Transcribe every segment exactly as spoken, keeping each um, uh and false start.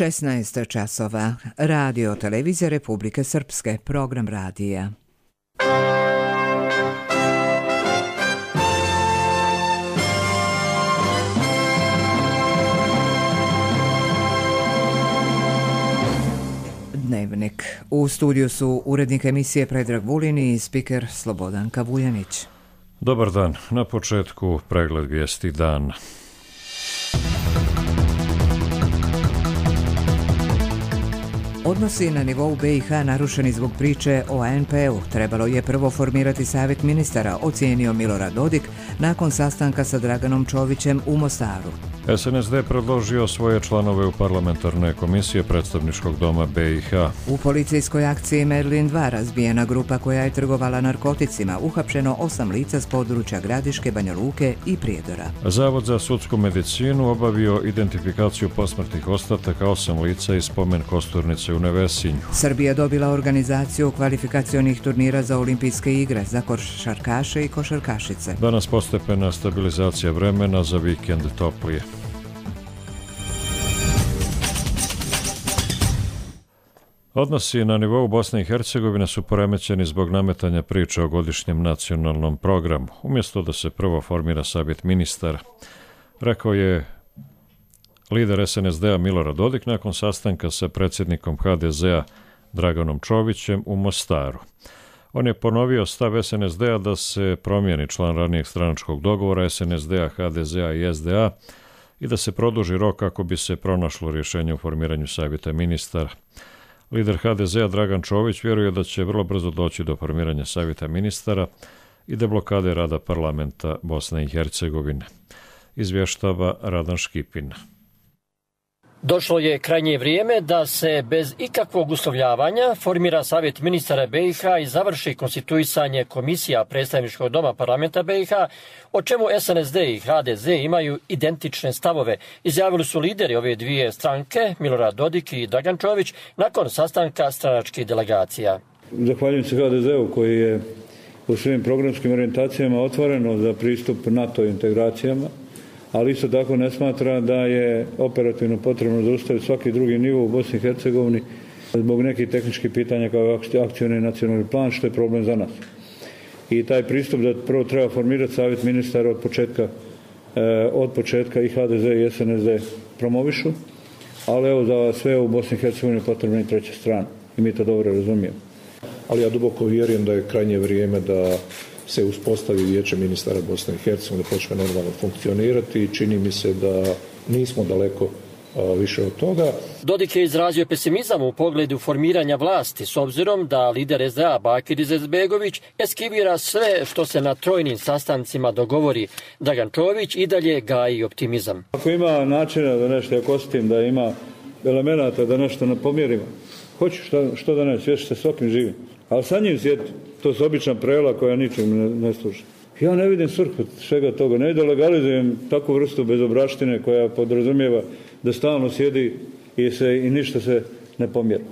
šesnaest časova. Radio Televizija Republike Srpske. Program radija. Dnevnik. U studiju su urednik emisije Predrag Vulin i spiker Slobodanka Vuljanić. Dobar dan. Na početku pregled vijesti dana. Odnosi na nivou B i H narušeni zbog priče o A N P-u. Trebalo je prvo formirati savjet ministara, ocijenio Milorad Dodik nakon sastanka sa Draganom Čovićem u Mostaru. S N S D predložio svoje članove u parlamentarne komisije predstavničkog doma B i H. U policijskoj akciji Merlin dva razbijena grupa koja je trgovala narkoticima, uhapšeno osam lica s područja Gradiške, Banja Luke i Prijedora. Zavod za sudsku medicinu obavio identifikaciju posmrtnih ostataka osam lica iz spomen kosturnice u Nevesinju. Srbija dobila organizaciju kvalifikacionih turnira za olimpijske igre za košarkaše i košarkašice. Danas postepena stabilizacija vremena, za vikend toplije. Odnosi na nivou Bosne i Hercegovine su poremećeni zbog nametanja priče o godišnjem nacionalnom programu, umjesto da se prvo formira savjet ministara, rekao je lider S N S D-a Milorad Dodik nakon sastanka sa predsjednikom H D Z-a Draganom Čovićem u Mostaru. On je ponovio stav S N S D-a da se promijeni član ranijeg stranačkog dogovora S N S D-a, H D Z-a i S D A i da se produži rok kako bi se pronašlo rješenje u formiranju savjeta ministara. Lider H D Z-a Dragan Čović vjeruje da će vrlo brzo doći do formiranja savjeta ministara i deblokade rada parlamenta Bosne i Hercegovine, izvještava Radan Škipin. Došlo je krajnje vrijeme da se bez ikakvog uslovljavanja formira savjet ministara B i H i završi konstituisanje komisija predstavničkog doma parlamenta B i H, o čemu S N S D i H D Z imaju identične stavove, izjavili su lideri ove dvije stranke, Milorad Dodik i Dragan Čović, nakon sastanka stranačkih delegacija. Zahvaljujem se H D Z-u koji je u svojim programskim orijentacijama otvoreno za pristup NATO integracijama, ali isto tako ne smatra da je operativno potrebno zaustaviti svaki drugi nivo u Bosni i Hercegovini zbog nekih tehničkih pitanja kao akcioni nacionalni plan, što je problem za nas. I taj pristup da prvo treba formirati savjet ministara od početka, od početka i H D Z i S N S D promovišu, ali evo za sve u Bosni i Hercegovini potrebna i treća strana i mi to dobro razumijemo. Ali ja duboko vjerujem da je krajnje vrijeme da se uspostavi vijeće ministara Bosne i Hercegovine, da počne normalno funkcionirati i čini mi se da nismo daleko a, više od toga. Dodik je izrazio pesimizam u pogledu formiranja vlasti, s obzirom da lider S D A Bakir Izetbegović eskivira sve što se na trojnim sastancima dogovori. Dragan Čović i dalje gaji optimizam. Ako ima načina da nešto, ako osjetim da ima elemenata da nešto napomjerimo, hoću što, što da ne, svješi se svakim živim. Ali sa njim sjeti, to su obična prela koja ničem ne, ne služi. Ja ne vidim svrhu svega toga, ne da legalizujem takvu vrstu bezobraštine koja podrazumijeva da stalno sjedi i, se, i ništa se ne pomjera.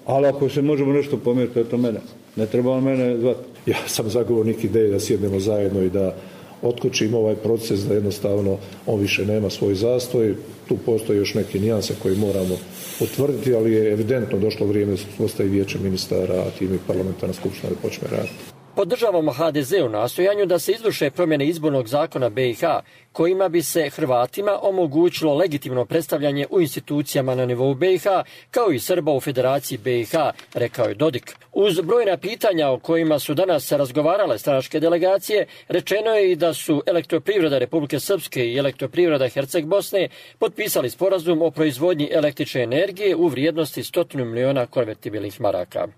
Ali ako se možemo nešto pomjeriti, eto mene. Ne treba on mene zvati. Ja sam zagovornik ideje da sjednemo zajedno i da otkočimo ovaj proces, da jednostavno on više nema svoj zastoj. Tu postoje još neke nijanse koje moramo utvrditi, ali je evidentno došlo vrijeme da se postavi vijeće ministara, a time i parlamentarna skupština da počne raditi. Podržavamo H D Z u nastojanju da se izvrše promjene izbornog zakona B i H, kojima bi se Hrvatima omogućilo legitimno predstavljanje u institucijama na nivou B i H, kao i Srba u Federaciji B i H, rekao je Dodik. Uz brojna pitanja o kojima su danas razgovarale stranačke delegacije, rečeno je i da su Elektroprivreda Republike Srpske i Elektroprivreda Herceg Bosne potpisali sporazum o proizvodnji električne energije u vrijednosti stotinu miliona konvertibilnih maraka.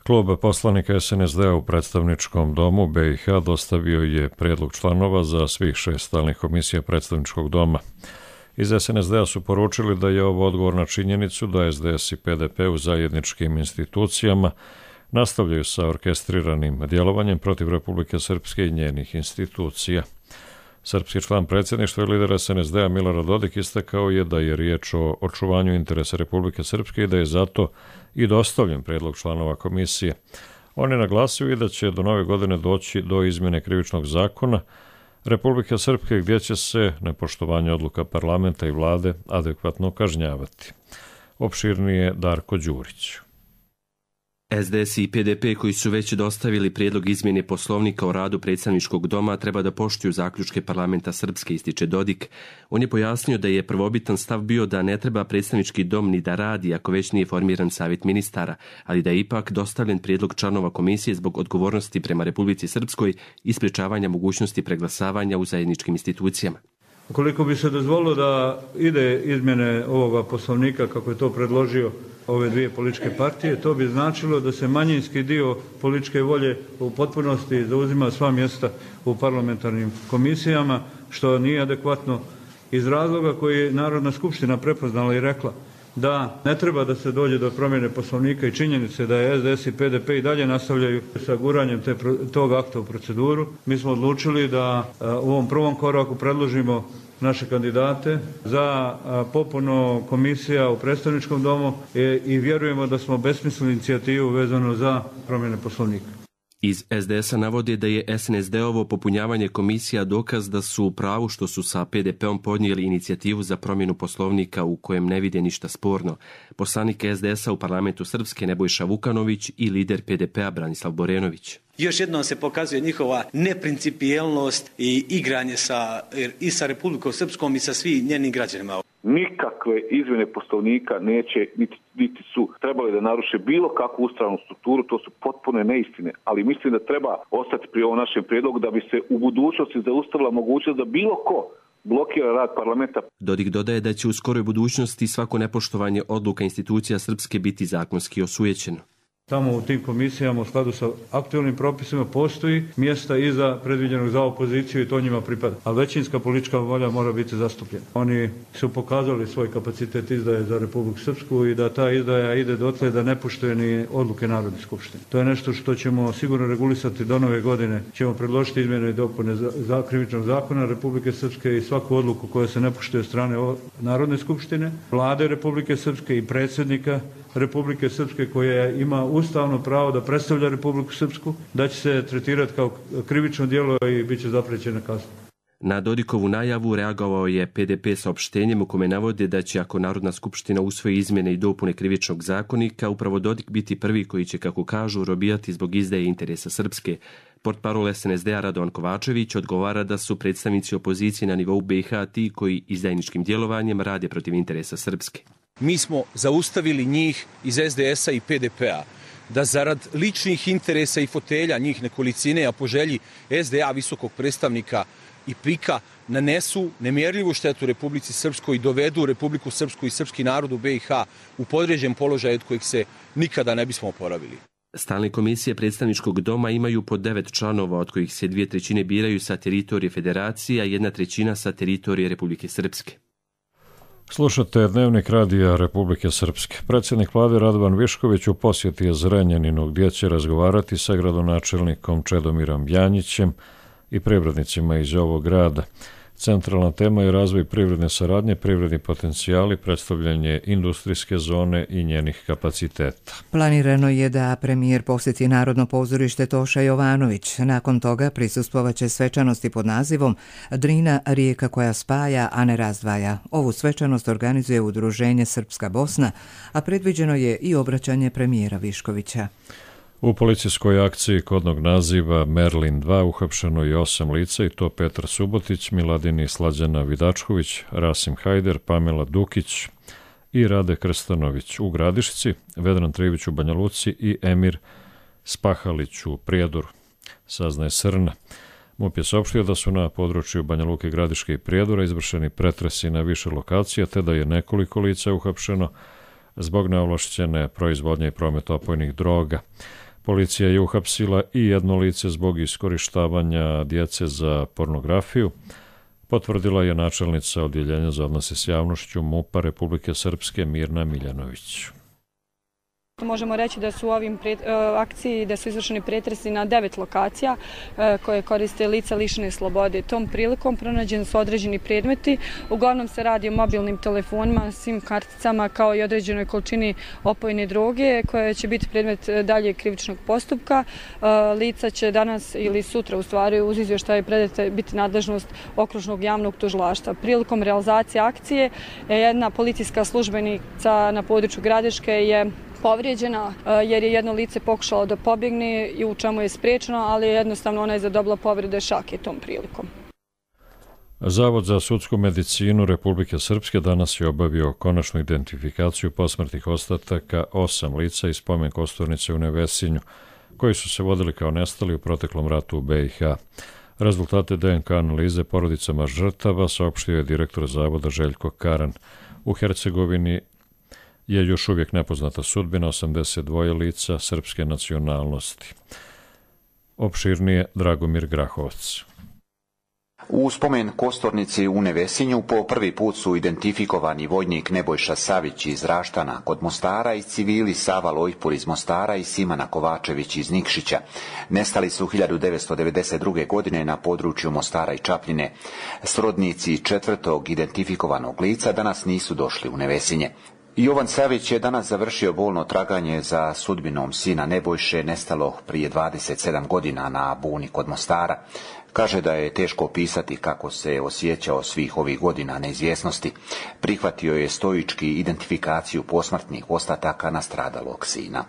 Klub poslanika S N S D-a u predstavničkom domu B i H dostavio je prijedlog članova za svih šest stalnih komisija predstavničkog doma. Iz S N S D-a su poručili da je ovo odgovor na činjenicu da S D S i P D P u zajedničkim institucijama nastavljaju sa orkestriranim djelovanjem protiv Republike Srpske i njenih institucija. Srpski član predsjedništva i lider S N S D-a Milorad Dodik istakao je da je riječ o očuvanju interesa Republike Srpske i da je zato i dostavljen prijedlog članova komisije. On je naglasio i da će do nove godine doći do izmjene krivičnog zakona, Republike Srpske gdje će se nepoštovanje odluka parlamenta i vlade adekvatno kažnjavati. Opširnije Darko Đurić. S D S i P D P koji su već dostavili prijedlog izmjene poslovnika o radu predstavničkog doma treba da poštuju zaključke parlamenta Srpske, ističe Dodik. On je pojasnio da je prvobitan stav bio da ne treba predstavnički dom ni da radi ako već nije formiran savjet ministara, ali da je ipak dostavljen prijedlog članova komisije zbog odgovornosti prema Republici Srpskoj i sprečavanja mogućnosti preglasavanja u zajedničkim institucijama. Ukoliko bi se dozvolilo da ide izmjene ovoga poslovnika kako je to predložio ove dvije političke partije, to bi značilo da se manjinski dio političke volje u potpunosti zauzima sva mjesta u parlamentarnim komisijama, što nije adekvatno iz razloga koji je Narodna skupština prepoznala i rekla da ne treba da se dođe do promjene poslovnika i činjenice da je S D S i P D P i dalje nastavljaju sa guranjem te, tog akta u proceduru. Mi smo odlučili da u ovom prvom koraku predložimo naše kandidate za popunu komisija u predstavničkom domu i vjerujemo da smo besmislili inicijativu vezano za promjene poslovnika. Iz S D S-a navode da je S N S D-ovo popunjavanje komisija dokaz da su u pravu što su sa P D P-om podnijeli inicijativu za promjenu poslovnika u kojem ne vide ništa sporno. Poslanik S D S-a u parlamentu Srpske Nebojša Vukanović i lider P D P-a Branislav Borenović. Još jednom se pokazuje njihova neprincipijelnost i igranje sa, i sa Republikom Srpskom i sa svim njenim građanima. Nikakve izmjene poslovnika neće, niti, niti su trebali da naruše bilo kakvu ustavnu strukturu, to su potpune neistine, ali mislim da treba ostati pri ovom našem prijedlogu da bi se u budućnosti zaustavila mogućnost da bilo ko blokira rad parlamenta. Dodik dodaje da će u skoroj budućnosti svako nepoštovanje odluka institucija Srpske biti zakonski osujećeno. Tamo u tim komisijama u skladu sa aktualnim propisima postoji mjesta iza predviđenog za opoziciju i to njima pripada. A većinska politička volja mora biti zastupljena. Oni su pokazali svoj kapacitet izdaje za Republiku Srpsku i da ta izdaja ide dotle da ne poštuje ni odluke Narodne skupštine. To je nešto što ćemo sigurno regulisati do nove godine. Ćemo predložiti izmjene i dopune za krivičnog zakona Republike Srpske i svaku odluku koja se ne poštuje od strane Narodne skupštine, Vlade Republike Srpske i predsjednika Republike Srpske koja ima ustavno pravo da predstavlja Republiku Srpsku, da će se tretirati kao krivično djelo i bit će zaprećena kazna. Na Dodikovu najavu reagovao je P D P saopštenjem u kome navode da će ako Narodna skupština usvoji izmjene i dopune krivičnog zakonika, upravo Dodik biti prvi koji će, kako kažu, robijati zbog izdaje interesa Srpske. Portparol S N S D-a Radovan Kovačević odgovara da su predstavnici opozicije na nivou B iH ti koji izdajničkim djelovanjem rade protiv interesa Srpske. Mi smo zaustavili njih iz S D S-a i P D P-a da zarad ličnih interesa i fotelja njih nekolicine, a po želji S D A visokog predstavnika i P I K-a nanesu nemjerljivu štetu Republici Srpskoj i dovedu Republiku Srpsku i srpski narod u B iH u podređen položaj od kojeg se nikada ne bismo oporavili. Stalne komisije predstavničkog doma imaju po devet članova, od kojih se dvije trećine biraju sa teritorije federacije, a jedna trećina sa teritorije Republike Srpske. Slušate Dnevnik radija Republike Srpske. Predsjednik vlade Radovan Višković u posjeti je Zrenjaninu gdje će razgovarati sa gradonačelnikom Čedomirom Janjićem i privrednicima iz ovog grada. Centralna tema je razvoj privredne saradnje, privredni potencijali, predstavljanje industrijske zone i njenih kapaciteta. Planirano je da premijer posjeti Narodno pozorište Toša Jovanović. Nakon toga prisustvovaće svečanosti pod nazivom Drina, rijeka koja spaja, a ne razdvaja. Ovu svečanost organizuje Udruženje Srpska Bosna, a predviđeno je i obraćanje premijera Viškovića. U policijskoj akciji kodnog naziva Merlin dva uhapšeno je osam lica i to Petar Subotić, Miladini Slađana Vidačković, Rasim Hajder, Pamela Dukić i Rade Krstanović u Gradišci, Vedran Trivić u Banja Luci i Emir Spahalić u Prijedoru, saznaje Srna. MUP je saopštio da su na području Banja Luke, Gradiške i Prijedora izvršeni pretresi na više lokacija, te da je nekoliko lica uhapšeno zbog neovlašćene proizvodnje i prometa opojnih droga. Policija je uhapsila i jedno lice zbog iskorištavanja djece za pornografiju, potvrdila je načelnica Odjeljenja za odnose s javnošću MUP-a Republike Srpske Mirna Miljanović. što možemo reći da su u ovim pre, akciji da su izvršeni pretresi na devet lokacija koje koriste lica lišene slobode. Tom prilikom pronađeni su određeni predmeti. Uglavnom se radi o mobilnim telefonima, sim karticama kao i određenoj količini opojne droge koja će biti predmet dalje krivičnog postupka. Lica će danas ili sutra u stvari uz izvještaj predate biti nadležnost okružnog javnog tužilaštva. Prilikom realizacije akcije jedna policijska službenica na području Gradiške je povrijeđena jer je jedno lice pokušalo da pobjegne i u čemu je spriječeno, ali jednostavno ona je zadobila povrede šake tom prilikom. Zavod za sudsku medicinu Republike Srpske danas je obavio konačnu identifikaciju posmrtnih ostataka osam lica iz spomen kosturnice u Nevesinju, koji su se vodili kao nestali u proteklom ratu u be i ha. Rezultate de en ka analize porodicama žrtava saopštio je direktor zavoda Željko Karan. U Hercegovini je još uvijek nepoznata sudbina osamdeset dva lica srpske nacionalnosti. Opširnije Dragomir Grahovac. U spomen kosturnici u Nevesinju po prvi put su identifikovani vojnik Nebojša Savić iz Raštana kod Mostara i civili Sava Lojpur iz Mostara i Simana Kovačević iz Nikšića. Nestali su hiljadu devetsto devedeset druge. godine na području Mostara i Čapljine. Srodnici četvrtog identifikovanog lica danas nisu došli u Nevesinje. Jovan Savić je danas završio bolno traganje za sudbinom sina Nebojše nestalog prije dvadeset sedam godina na Buni kod Mostara. Kaže da je teško opisati kako se osjećao svih ovih godina neizvjesnosti. Prihvatio je stoički identifikaciju posmrtnih ostataka nastradalog sina.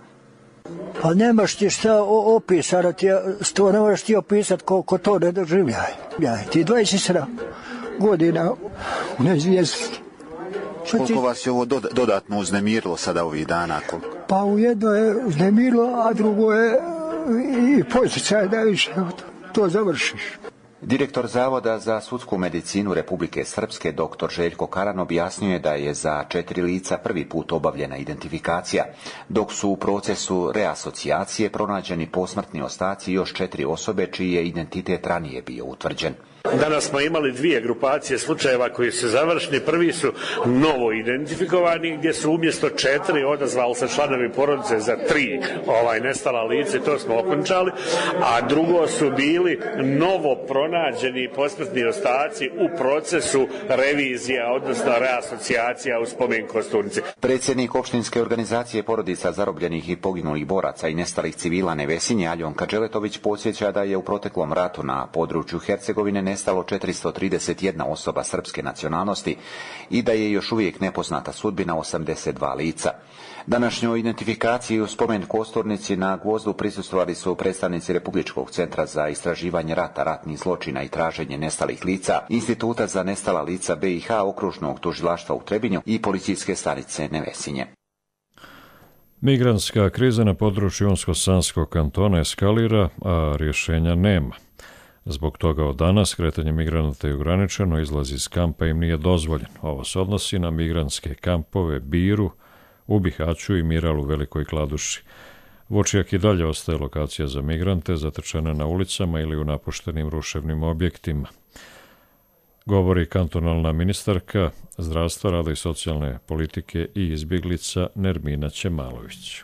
Pa nemaš ti šta opisati, to ne možeš ti opisati koliko to ne doživljaje. Ti dvadeset sedam godina u neizvjesnosti. Koliko vas je ovo dodatno uznemirilo sada ovih dana? Pa u jedno je uznemirilo, a drugo je i posjećaj da više to završiš. Direktor Zavoda za sudsku medicinu Republike Srpske doktor Željko Karan objasnio je da je za četiri lica prvi put obavljena identifikacija, dok su u procesu reasocijacije pronađeni posmrtni ostaci još četiri osobe čiji je identitet ranije bio utvrđen. Danas smo imali dvije grupacije slučajeva koji su završeni. Prvi su novo identifikovani gdje su umjesto četiri odazvali se članovi porodice za tri ovaj nestala lice, to smo okončali, a drugo su bili novo pronađeni posmrtni ostaci u procesu revizija, odnosno reasocijacija u spomen kosturnici. Predsjednik opštinske organizacije porodica zarobljenih i poginulih boraca i nestalih civila Nevesinje Aljon Kadželetović podsjeća da je u proteklom ratu na području Hercegovine nestalo četiristo trideset jedna osoba srpske nacionalnosti i da je još uvijek nepoznata sudbina osamdeset dva lica. Današnjoj identifikaciji u spomen kosturnici na Gvozdu prisustvovali su predstavnici Republičkog centra za istraživanje rata, ratnih zločina i traženje nestalih lica, Instituta za nestala lica be i ha, okružnog tužilaštva u Trebinju i policijske stanice Nevesinje. Migrantska kriza na području Unsko-Sanskog kantona eskalira, a rješenja nema. Zbog toga od danas kretanje migranata je ograničeno, izlaz iz kampa im nije dozvoljen. Ovo se odnosi na migrantske kampove Biru, u Bihaću i Miral u Velikoj Kladuši. Vočijak i dalje ostaje lokacija za migrante, zatečene na ulicama ili u napuštenim ruševnim objektima. Govori kantonalna ministarka zdravstva, rada i socijalne politike i izbjeglica Nermina Ćemalović.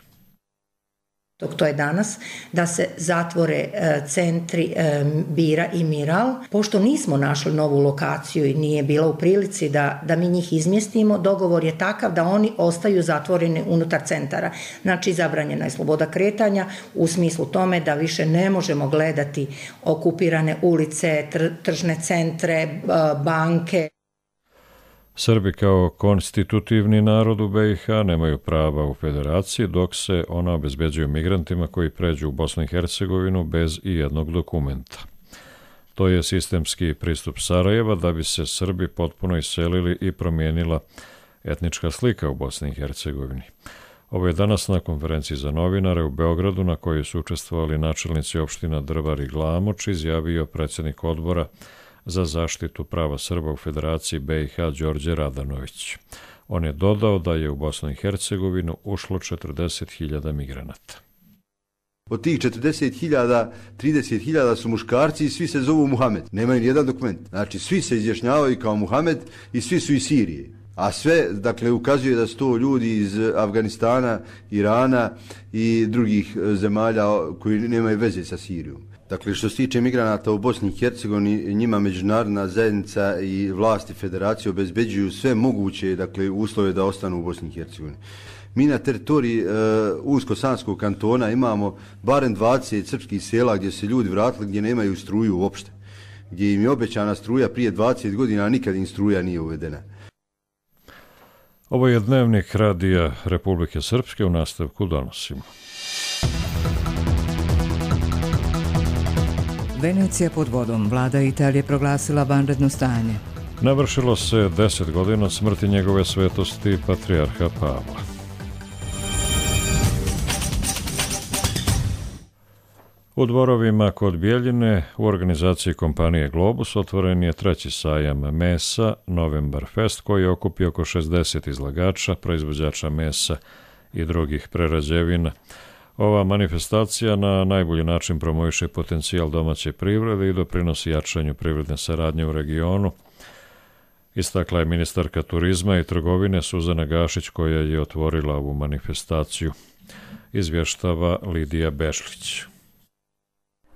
Dok to je danas, da se zatvore centri Bira i Miral. Pošto nismo našli novu lokaciju i nije bila u prilici da, da mi njih izmjestimo, dogovor je takav da oni ostaju zatvoreni unutar centara. Znači, zabranjena je sloboda kretanja u smislu tome da više ne možemo gledati okupirane ulice, tržne centre, banke. Srbi kao konstitutivni narod u be i ha nemaju prava u federaciji, dok se ona obezbeđuju migrantima koji pređu u Bosnu i Hercegovinu bez i jednog dokumenta. To je sistemski pristup Sarajeva da bi se Srbi potpuno iselili i promijenila etnička slika u Bosni i Hercegovini. Ovo je danas na konferenciji za novinare u Beogradu, na kojoj su učestvovali načelnici opština Drvar i Glamoč, izjavio predsjednik odbora za zaštitu prava Srba u Federaciji be i ha Đorđe Radanović. On je dodao da je u Bosnu i Hercegovinu ušlo četrdeset hiljada migranata. Od tih četrdeset hiljada, trideset hiljada su muškarci i svi se zovu Muhamed. Nemaju nijedan dokument. Znači, svi se izjašnjavaju kao Muhamed i svi su iz Sirije. A sve, dakle, ukazuje da su to ljudi iz Afganistana, Irana i drugih zemalja koji nemaju veze sa Sirijom. Dakle, što se tiče migranata u Bosni i Hercegovini, njima međunarodna zajednica i vlasti federacije obezbeđuju sve moguće, dakle, uslove da ostanu u Bosni i Hercegovini. Mi na teritoriji uh, Unsko-Sanskog kantona imamo barem dvadeset srpskih sela gdje se ljudi vratili, gdje nemaju struju uopšte. Gdje im je obećana struja prije dvadeset godina, a nikad im struja nije uvedena. Ovo je dnevnik Radija Republike Srpske, u nastavku donosimo. Venecija pod vodom. Vlada Italije proglasila vanredno stanje. Navršilo se deset godina od smrti njegove svetosti patrijarha Pavla. U dvorovima kod Bijeljine u organizaciji kompanije Globus otvoren je treći sajam mesa, Novembar Fest, koji je okupio oko šezdeset izlagača, proizvođača mesa i drugih prerađevina. Ova manifestacija na najbolji način promoviše potencijal domaće privrede i doprinosi jačanju privredne saradnje u regionu. Istakla je ministarka turizma i trgovine Suzana Gašić, koja je otvorila ovu manifestaciju. Izvještava Lidija Bešlić.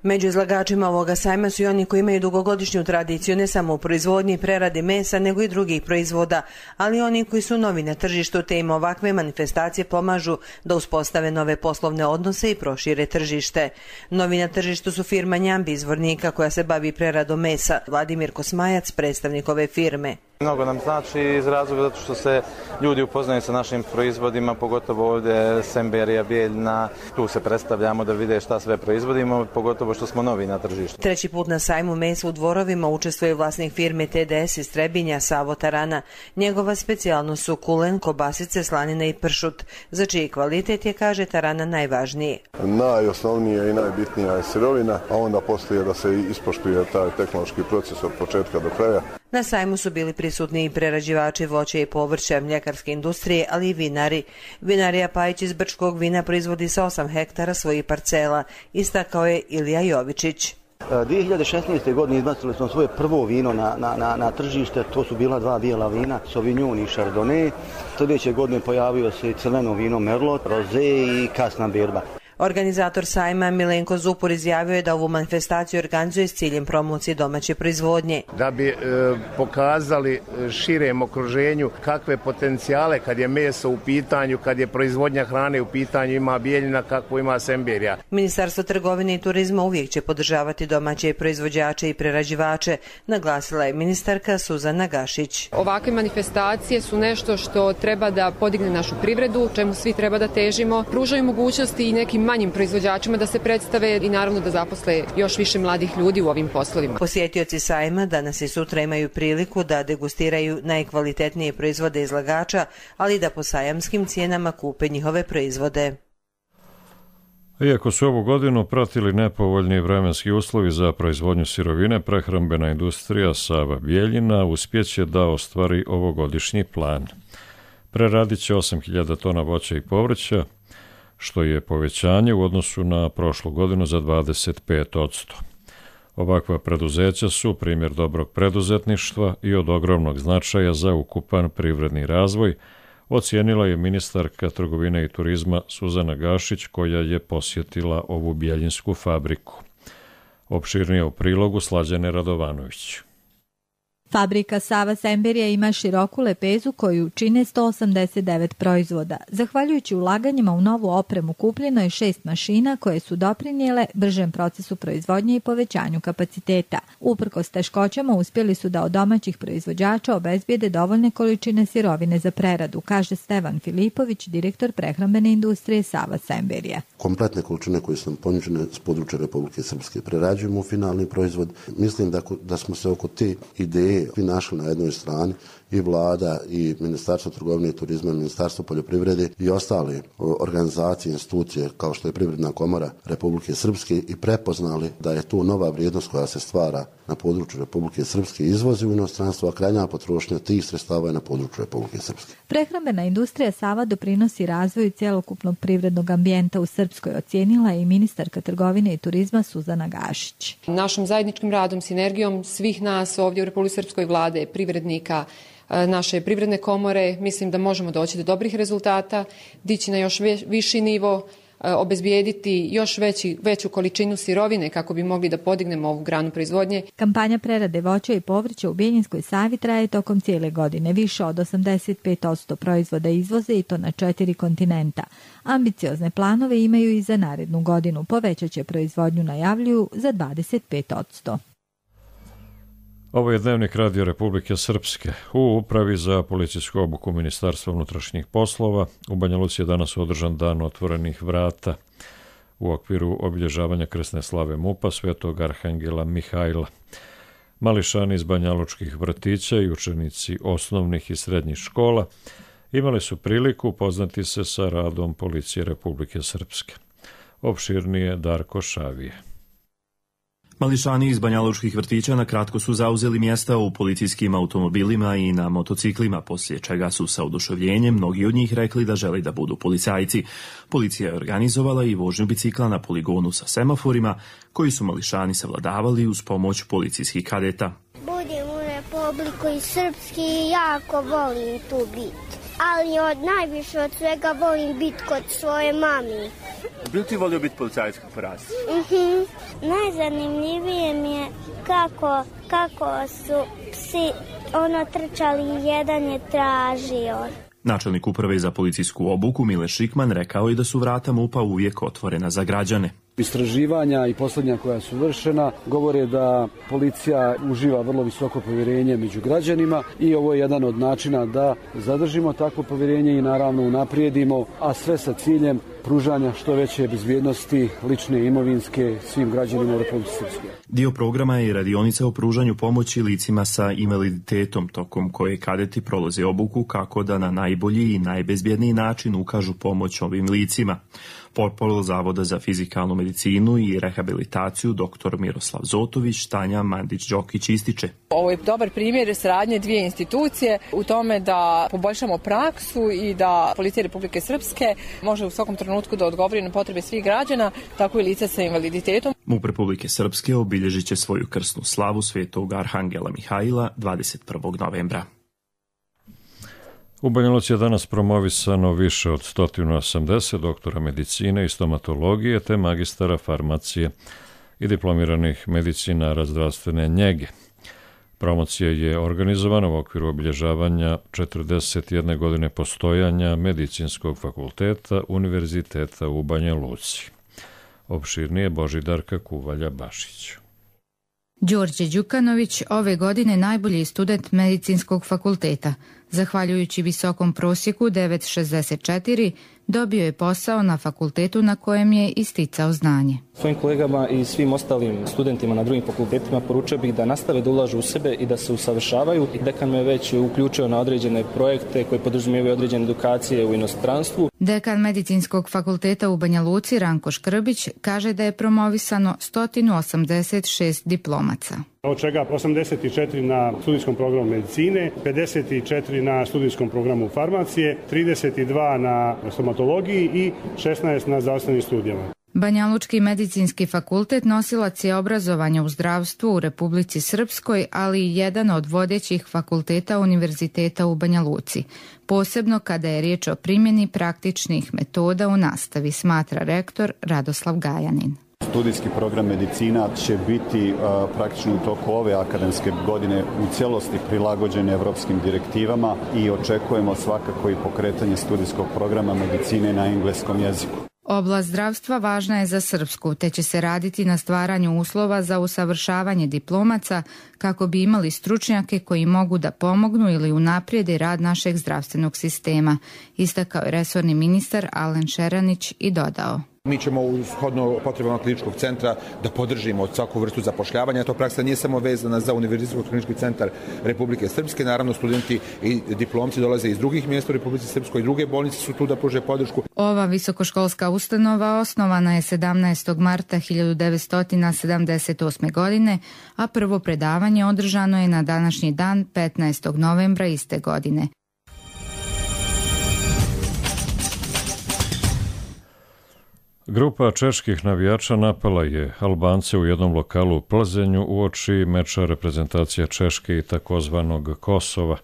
Među izlagačima ovoga sajma su i oni koji imaju dugogodišnju tradiciju ne samo u proizvodnji i preradi mesa, nego i drugih proizvoda, ali i oni koji su novi na tržištu, te im ovakve manifestacije pomažu da uspostave nove poslovne odnose i prošire tržište. Novi na tržištu su firma Njambi iz Vornika, koja se bavi preradom mesa. Vladimir Kosmajac, predstavnik ove firme. Mnogo nam znači iz razloga zato što se ljudi upoznaju sa našim proizvodima, pogotovo ovdje Semberija, Bijeljina, tu se predstavljamo da vide šta sve proizvodimo, pogotovo što smo novi na tržištu. Treći put na sajmu mesa u Dvorovima učestvuje vlasnik firme T D S iz Trebinja, Savo Tarana. Njegova specijalnost su kulen, kobasice, slanina i pršut, za čiji kvalitet je, kaže Tarana, najvažniji. Najosnovnija i najbitnija je sirovina, a onda poslije da se ispoštuje taj tehnološki proces od početka do kraja. Na sajmu su bili prisutni i prerađivači voća i povrća, mljekarske industrije, ali i vinari. Vinarija Pajić iz Brčkog vina proizvodi sa osam hektara svojih parcela, istakao je Ilija Jovičić. dvije hiljade šesnaeste. godine izbacili smo svoje prvo vino na, na, na, na tržište, to su bila dva bijela vina, Sauvignon i Chardonnay. Sljedeće godine pojavio se crveno vino Merlot, Rosé i kasna berba. Organizator sajma Milenko Zupur izjavio je da ovu manifestaciju organizuje s ciljem promocije domaće proizvodnje. Da bi e, pokazali širem okruženju kakve potencijale kad je meso u pitanju, kad je proizvodnja hrane u pitanju, ima Bijeljina, kako ima Semberija. Ministarstvo trgovine i turizma uvijek će podržavati domaće proizvođače i prerađivače, naglasila je ministarka Suzana Gašić. Ovakve manifestacije su nešto što treba da podigne našu privredu, čemu svi treba da težimo, pružaju mogućnosti i nekim manjim proizvođačima da se predstave i naravno da zaposle još više mladih ljudi u ovim poslovima. Posjetioci sajma danas i sutra imaju priliku da degustiraju najkvalitetnije proizvode izlagača, ali da po sajamskim cijenama kupe njihove proizvode. Iako su ovu godinu pratili nepovoljni vremenski uslovi za proizvodnju sirovine, prehrambena industrija Sava Bijeljina uspjeće da ostvari ovogodišnji plan. Preradit će osam hiljada tona voća i povrća, što je povećanje u odnosu na prošlu godinu za dvadeset pet posto. Ovakva preduzeća su primjer dobrog preduzetništva i od ogromnog značaja za ukupan privredni razvoj, ocijenila je ministarka trgovine i turizma Suzana Gašić, koja je posjetila ovu bijeljinsku fabriku. Opširnije u prilogu Slađane Radovanović. Fabrika Sava Semberija ima široku lepezu koju čine sto osamdeset devet proizvoda. Zahvaljujući ulaganjima u novu opremu kupljeno je šest mašina koje su doprinijele bržem procesu proizvodnje i povećanju kapaciteta. Uprkos teškoćama uspjeli su da od domaćih proizvođača obezbijede dovoljne količine sirovine za preradu, kaže Stevan Filipović, direktor prehrambene industrije Sava Semberija. Kompletne količine koje su nam ponuđene s područja Republike Srpske prerađujemo u finalni proizvod. Mislim da, da smo se oko te ideje svi našli na jednoj strani, i vlada i Ministarstvo trgovine i turizma, Ministarstvo poljoprivrede i ostale organizacije, institucije kao što je Privredna komora Republike Srpske i prepoznali da je to nova vrijednost koja se stvara na području Republike Srpske, izvozi u inostranstvo, a krajnja potrošnja tih sredstava je na području Republike Srpske. Prehrambena industrija Sava doprinosi razvoju cjelokupnog privrednog ambijenta u Srpskoj, ocijenila je i ministarka trgovine i turizma Suzana Gašić. Našim zajedničkim radom, sinergijom svih nas ovdje u Republici Srpskoj, vlade, privrednika, naše privredne komore, mislim da možemo doći do dobrih rezultata, dići na još viši nivo, obezbijediti još veći, veću količinu sirovine kako bi mogli da podignemo ovu granu proizvodnje. Kampanja prerade voća i povrća u Bijeljinskoj Savi traje tokom cijele godine. Više od osamdeset pet posto proizvoda izvoze i to na četiri kontinenta. Ambiciozne planove imaju i za narednu godinu. Povećat će proizvodnju, najavljuju, za dvadeset pet posto. Ovo je Dnevnik Radio Republike Srpske. U Upravi za policijsku obuku Ministarstva unutrašnjih poslova u Banja Luci je danas održan dan otvorenih vrata u okviru obilježavanja krsne slave MUP-a Svetog Arhangela Mihajla. Mališani iz banjalučkih vrtića i učenici osnovnih i srednjih škola imali su priliku upoznati se sa radom Policije Republike Srpske. Opširnije Darko Šavije. Mališani iz banjalučkih vrtića na kratko su zauzeli mjesta u policijskim automobilima i na motociklima, poslije čega su sa oduševljenjem mnogi od njih rekli da žele da budu policajci. Policija je organizovala i vožnju bicikla na poligonu sa semaforima, koji su Mališani savladavali uz pomoć policijskih kadeta. Budem u Republiku Srpski i jako volim tu biti. Ali od najviše od svega volim biti kod svoje mami. Bi li ti volio biti policajac po rasi? Uh-huh. Najzanimljivije mi je kako, kako su psi ono trčali i jedan je tražio. Načelnik uprave za policijsku obuku Mile Šikman rekao je da su vrata MUP-a uvijek otvorena za građane. Istraživanja i posljednja koja su vršena govore da policija uživa vrlo visoko povjerenje među građanima i ovo je jedan od načina da zadržimo takvo povjerenje i naravno unaprijedimo, a sve sa ciljem pružanja što veće bezbjednosti lične i imovinske svim građanima u Republici Srpskoj. Dio programa je radionica o pružanju pomoći licima sa invaliditetom, tokom koje kadeti prolaze obuku kako da na najbolji i najbezbjedniji način ukažu pomoć ovim licima. Portparol Zavoda za fizikalnu medicinu i rehabilitaciju dr. Miroslav Zotović, Tanja Mandić-Đokić ističe. Ovo je dobar primjer saradnje dvije institucije u tome da poboljšamo praksu i da Policija Republike Srpske može u svakom trenutku da odgovori na potrebe svih građana, tako i lica sa invaliditetom. MUP Republike Srpske obilježit će svoju krsnu slavu Svetog Arhangela Mihajla dvadeset prvog novembra. U Banja Luci je danas promovisano više od sto osamdeset doktora medicine i stomatologije te magistara farmacije i diplomiranih medicinara zdravstvene njege. Promocija je organizovana u okviru obilježavanja četrdeset jedne godine postojanja Medicinskog fakulteta Univerziteta u Banja Luci. Opširnije Božidarka Kuvalja-Bašić. Đorđe Đukanović ove godine najbolji student Medicinskog fakulteta. Zahvaljujući visokom prosjeku devet zarez šezdeset četiri, dobio je posao na fakultetu na kojem je isticao znanje. Svojim kolegama i svim ostalim studentima na drugim fakultetima poručio bih da nastave da ulažu u sebe i da se usavršavaju. Dekan me već uključio na određene projekte koje podrazumijevaju određene edukacije u inostranstvu. Dekan Medicinskog fakulteta u Banja Luci Ranko Škrbić kaže da je promovisano sto osamdeset šest diplomaca. Od čega osamdeset četiri na studijskom programu medicine, pedeset četiri na studijskom programu farmacije, trideset dva na stomatologiji i šesnaest na zdravstvenim studijama. Banjalučki medicinski fakultet nosilac je obrazovanja u zdravstvu u Republici Srpskoj, ali i jedan od vodećih fakulteta univerziteta u Banja Luci, posebno kada je riječ o primjeni praktičnih metoda u nastavi, smatra rektor Radoslav Gajanin. Studijski program medicina će biti a, praktično u toku ove akademske godine u cijelosti prilagođen evropskim direktivama i očekujemo svakako i pokretanje studijskog programa medicine na engleskom jeziku. Oblast zdravstva važna je za Srpsku, te će se raditi na stvaranju uslova za usavršavanje diplomaca kako bi imali stručnjake koji mogu da pomognu ili unaprijede rad našeg zdravstvenog sistema, istakao je resorni ministar Alen Šeranić i dodao. Mi ćemo shodno potrebama kliničkog centra da podržimo svaku vrstu zapošljavanja. To praksa nije samo vezana za Univerzitetski klinički centar Republike Srpske. Naravno, studenti i diplomci dolaze iz drugih mjesta u Republici Srpskoj i druge bolnice su tu da pruže podršku. Ova visokoškolska ustanova osnovana je sedamnaestog marta hiljadu devetsto sedamdeset osme. godine, a prvo predavanje održano je na današnji dan petnaestog novembra iste godine. Grupa čeških navijača napala je Albance u jednom lokalu u Plzenju uoči meča reprezentacija Češke i takozvanog Kosova.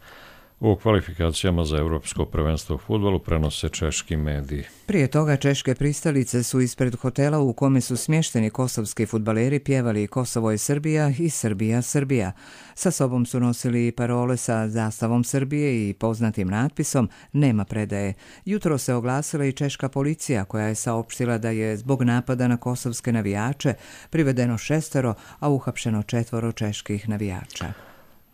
u kvalifikacijama za Europsko prvenstvo u fudbalu, prenose češki mediji. Prije toga češke pristalice su ispred hotela u kome su smješteni kosovski fudbaleri pjevali Kosovo je Srbija i Srbija Srbija. Sa sobom su nosili i parole sa zastavom Srbije i poznatim natpisom Nema predaje. Jutro se oglasila i češka policija koja je saopštila da je zbog napada na kosovske navijače privedeno šestero, a uhapšeno četvoro čeških navijača.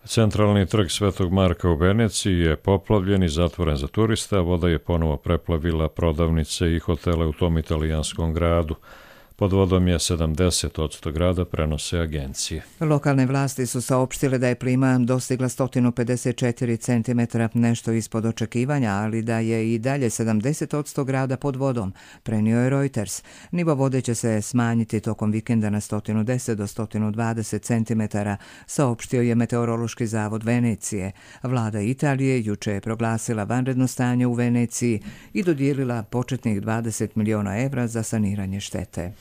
Centralni trg Svetog Marka u Veneciji je poplavljen i zatvoren za turiste, a voda je ponovo preplavila prodavnice i hotele u tom italijanskom gradu. Pod vodom je sedamdeset posto grada, prenose agencije. Lokalne vlasti su saopštile da je plima dostigla sto pedeset četiri centimetra, nešto ispod očekivanja, ali da je i dalje sedamdeset posto grada pod vodom, prenio je Reuters. Nivo vode će se smanjiti tokom vikenda na sto deset do sto dvadeset centimetara, saopštio je Meteorološki zavod Venecije. Vlada Italije juče je proglasila vanredno stanje u Veneciji i dodijelila početnih dvadeset miliona evra za saniranje štete.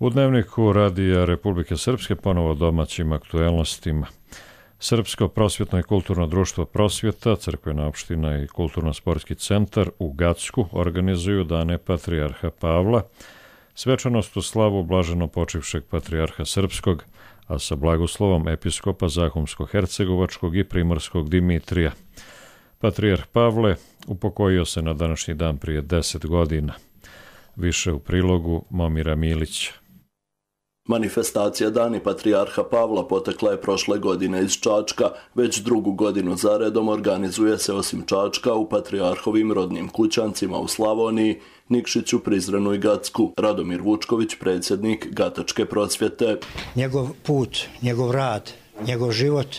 U dnevniku Radija Republike Srpske ponovo domaćim aktuelnostima. Srpsko prosvjetno i kulturno društvo Prosvjeta, crkvena opština i kulturno-sportski centar u Gacku organizuju dane Patrijarha Pavla, svečanost u slavu blaženo počivšeg Patrijarha Srpskog, a sa blagoslovom episkopa Zahumsko-Hercegovačkog i Primorskog Dimitrija. Patrijarh Pavle upokojio se na današnji dan prije deset godina. Više u prilogu Momira Milića. Manifestacija Dani Patrijarha Pavla potekla je prošle godine iz Čačka, već drugu godinu zaredom organizuje se osim Čačka u Patrijarhovim rodnim kućancima u Slavoniji, Nikšiću, Prizrenu i Gacku. Radomir Vučković, predsjednik Gatačke prosvjete. Njegov put, njegov rad, njegov život,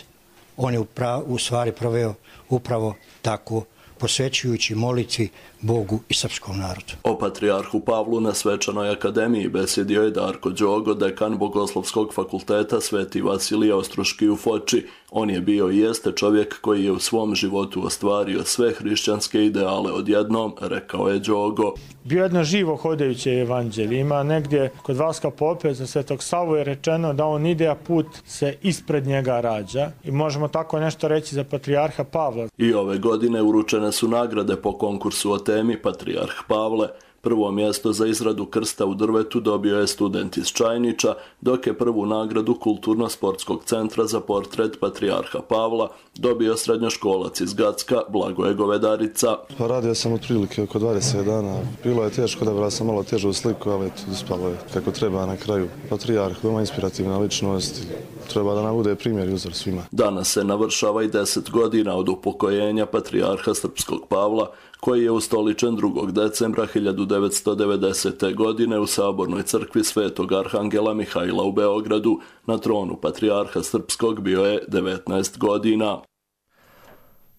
on je u stvari proveo upravo tako, posvećujući molitvi Bogu i srpskom narodu. O Patrijarhu Pavlu na Svečanoj akademiji besjedio je Darko Đogo, dekan Bogoslovskog fakulteta Sveti Vasilije Ostroški u Foči. On je bio i jeste čovjek koji je u svom životu ostvario sve hrišćanske ideale odjednom, rekao je Đogo. Bio jedno živo hodajuće evanđelje. Ima negdje kod Vaska Pope za Svetog Savu je rečeno da on ide, a put se ispred njega rađa. I možemo tako nešto reći za Patrijarha Pavla. I ove godine uručene su nagrade po konkursu o temi Patrijarh Pavle. Prvo mjesto za izradu krsta u drvetu dobio je student iz Čajnića, dok je prvu nagradu Kulturno-sportskog centra za portret Patrijarha Pavla dobio srednjoškolac iz Gacka, Blagoje Govedarica. Pa radio sam otprilike oko dvadeset dana. Bilo je teško, da sam malo težu sliku, ali uspalo je kako treba na kraju. Patrijarh, veoma inspirativna ličnost, treba da nam bude primjer i uzor svima. Danas se navršava i deset godina od upokojenja Patrijarha Srpskog Pavla, koji je ustoličen drugog decembra hiljadu devetsto devedesete. godine u Sabornoj crkvi Svetog Arhangela Mihajla u Beogradu. Na tronu Patrijarha Srpskog bio je devetnaest godina.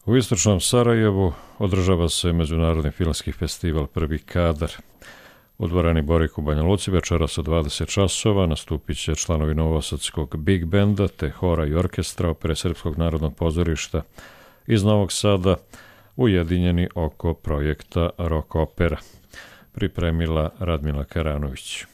U istočnom Sarajevu održava se Međunarodni filmski festival Prvi kadar. U dvorani Borik u Banja Luci večeras od dvadeset časova nastupit će članovi Novosadskog Big Benda te hora i orkestra Opere Srpskog narodnog pozorišta iz Novog Sada, ujedinjeni oko projekta Rock Opera. Pripremila Radmila Karanović.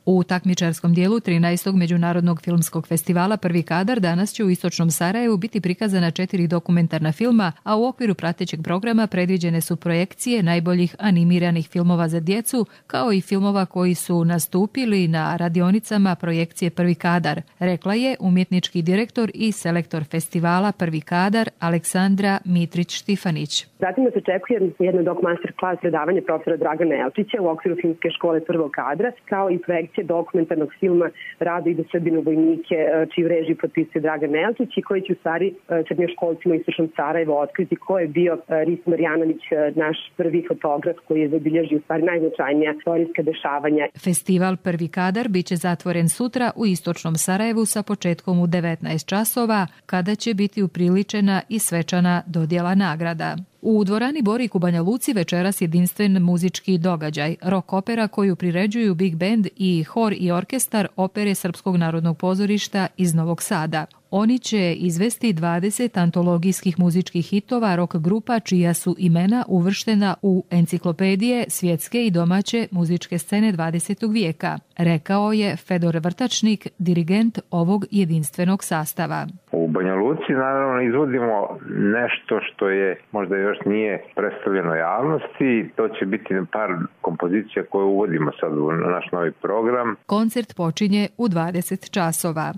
U takmičarskom dijelu trinaestog Međunarodnog filmskog festivala Prvi kadar danas će u istočnom Sarajevu biti prikazana četiri dokumentarna filma, a u okviru pratećeg programa predviđene su projekcije najboljih animiranih filmova za djecu, kao i filmova koji su nastupili na radionicama projekcije Prvi kadar, rekla je umjetnički direktor i selektor festivala Prvi kadar Aleksandra Mitrić-Štifanić. Zatim nas očekuje jedno dok master klas predavanje profesora Dragana Elčića u okviru filmske škole Prvog kadra, kao i projekcije dokumentarnog filma Rado ide Srbinu vojnike, čiju režiju potpisuje Dragan Elčić i koji će u stvari srednjoškolcima u istočnom Sarajevo otkriti ko je bio Ris Marjanović, naš prvi fotograf koji je zabilježio u stvari najznačajnija istorijska dešavanja. Festival Prvi kadar biće zatvoren sutra u istočnom Sarajevu sa početkom u devetnaest časova, kada će biti upriličena i svečana dodjela nagrada. U dvorani Borik u Banja Luci večeras jedinstven muzički događaj, rock opera koju priređuju Big Band i hor i orkestar Opere Srpskog narodnog pozorišta iz Novog Sada. Oni će izvesti dvadeset antologijskih muzičkih hitova rock grupa čija su imena uvrštena u enciklopedije svjetske i domaće muzičke scene dvadesetog vijeka, rekao je Fedor Vrtačnik, dirigent ovog jedinstvenog sastava. U Banja Luci naravno izvodimo nešto što je možda još nije predstavljeno javnosti. To će biti par kompozicija koje uvodimo sad u naš novi program. Koncert počinje u dvadeset časova.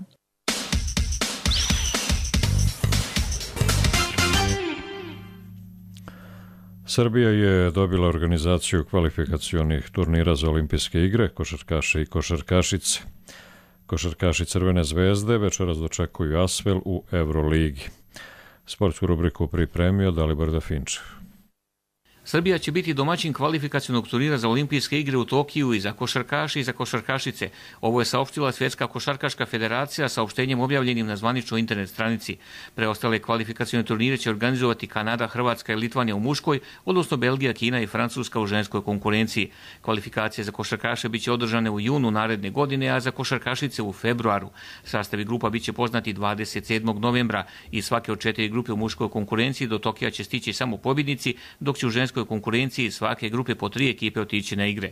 Srbija je dobila organizaciju kvalifikacionih turnira za olimpijske igre, košarkaše i košarkašice. Košarkaši Crvene zvezde večeras dočekuju Asvel u Euroligi. Sportsku rubriku pripremio Dalibor Dafinčev. Srbija će biti domaćin kvalifikacionog turnira za olimpijske igre u Tokiju i za košarkaše i za košarkašice. Ovo je saopštila Svjetska košarkaška federacija saopštenjem objavljenim na zvaničnoj internet stranici. Preostale kvalifikacione turnire će organizovati Kanada, Hrvatska i Litvanija u muškoj, odnosno Belgija, Kina i Francuska u ženskoj konkurenciji. Kvalifikacije za košarkaše biće održane u junu naredne godine, a za košarkašice u februaru. Sastavi grupa biće poznati dvadeset sedmog novembra i svake od četiri grupe u muškoj konkurenciji do Tokija će stići samo pobjednici, dok će u ženskoj konkurenciji svake grupe po tri ekipe otići na igre.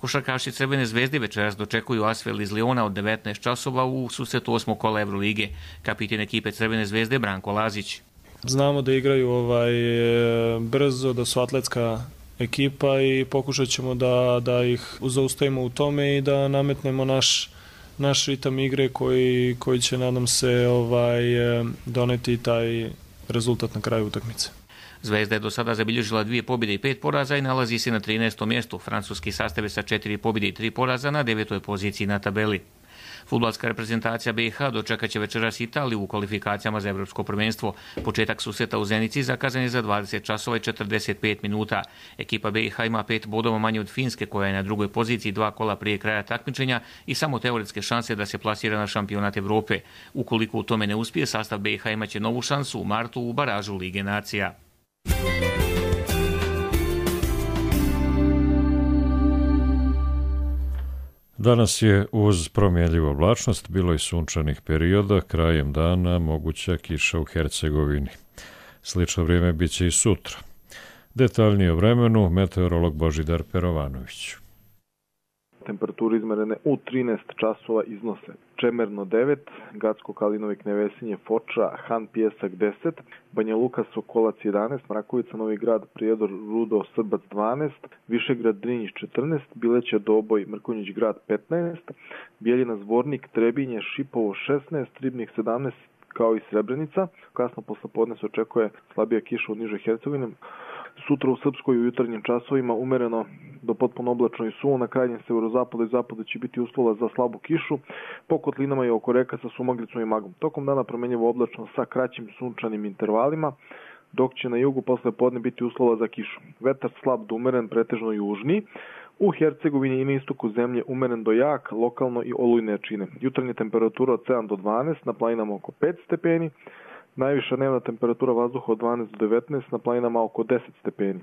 Košarkaši Crvene zvezde večeras dočekuju Asvel iz Liona od devetnaest časova u susretu osmog kola Evrolige. Kapiten ekipe Crvene zvezde Branko Lazić. Znamo da igraju ovaj brzo, da su atletska ekipa i pokušat ćemo da, da ih zaustavimo u tome i da nametnemo naš, naš ritam igre koji, koji će, nadam se, ovaj, doneti taj rezultat na kraju utakmice. Zvezda je do sada zabilježila dvije pobjede i pet poraza i nalazi se na trinaestom mjestu. Francuski sastav je sa četiri pobjede i tri poraza na devetoj poziciji na tabeli. Fudbalska reprezentacija B iH dočekat će večeras Italiju u kvalifikacijama za Evropsko prvenstvo. Početak susreta u Zenici zakazan je za dvadeset časova i četrdeset pet minuta. Ekipa B iH ima pet bodova manje od Finske, koja je na drugoj poziciji dva kola prije kraja takmičenja i samo teoretske šanse da se plasira na šampionat Evrope. Ukoliko u tome ne uspije, sastav B iH imaće novu šansu u martu u baražu Lige nacija. Danas je uz promjenljivu oblačnost bilo i sunčanih perioda, krajem dana moguća kiša u Hercegovini. Slično vrijeme bit će i sutra. Detaljnije o vremenu meteorolog Božidar Perovanović. Temperature izmerene u trinaest časova iznose Čemerno devet, Gacko Kalinovik Nevesinje Foča, Han Pijesak deset, Banja Luka Sokolac jedanaest, Mrakovica Novi Grad Prijedor Rudo Srbac dvanaest, Višegrad Drinjić četrnaest, Bileća Doboj Mrkonjić Grad petnaest, Bijeljina Zvornik Trebinje Šipovo šesnaest, Ribnik sedamnaest kao i Srebrenica. Kasno poslepodne se očekuje slabija kiša u nižoj Hercegovini. Sutra u Srpskoj u jutarnjim časovima umereno do potpuno oblačno i suvo, na krajnjem severozapadu i zapadu će biti uslova za slabu kišu, po kotlinama i oko reka sa sumaglicom i magom. Tokom dana promjenjivo oblačno sa kraćim sunčanim intervalima, dok će na jugu posle podne biti uslova za kišu. Vetar slab do umeren, pretežno južni. U Hercegovini i na istoku zemlje umeren do jak, lokalno i olujne jačine. Jutarnja temperatura od sedam do dvanaest, na planinama oko pet stepeni. Najviša dnevna temperatura vazduha od dvanaest do devetnaest, na planinama oko deset stepeni.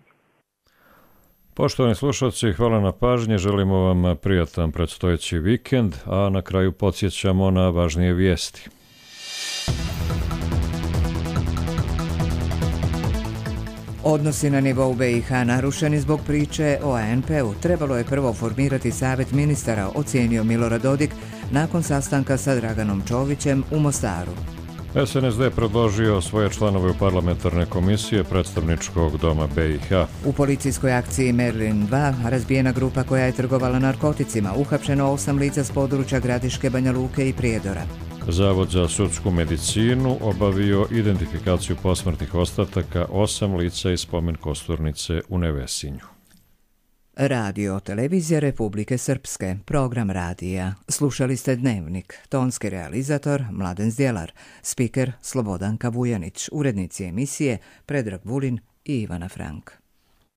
Poštovani slušalci, hvala na pažnje, želimo vam prijatan predstojeći vikend, a na kraju podsjećamo na važnije vijesti. Odnosi na nivou B iH narušeni zbog priče o A N P-u. Trebalo je prvo formirati savjet ministara, ocijenio Milorad Dodik nakon sastanka sa Draganom Čovićem u Mostaru. S N S D predložio svoje članove u parlamentarne komisije predstavničkog doma B iH. U policijskoj akciji Merlin dva razbijena grupa koja je trgovala narkoticima, uhapšeno osam lica s područja Gradiške, Banja Luke i Prijedora. Zavod za sudsku medicinu obavio identifikaciju posmrtnih ostataka osam lica iz spomen kosturnice u Nevesinju. Radio televizija Republike Srpske, program radija. Slušali ste Dnevnik, tonski realizator Mladen Zdjelar, spiker Slobodanka Vujanić, urednici emisije Predrag Vulin i Ivana Frank.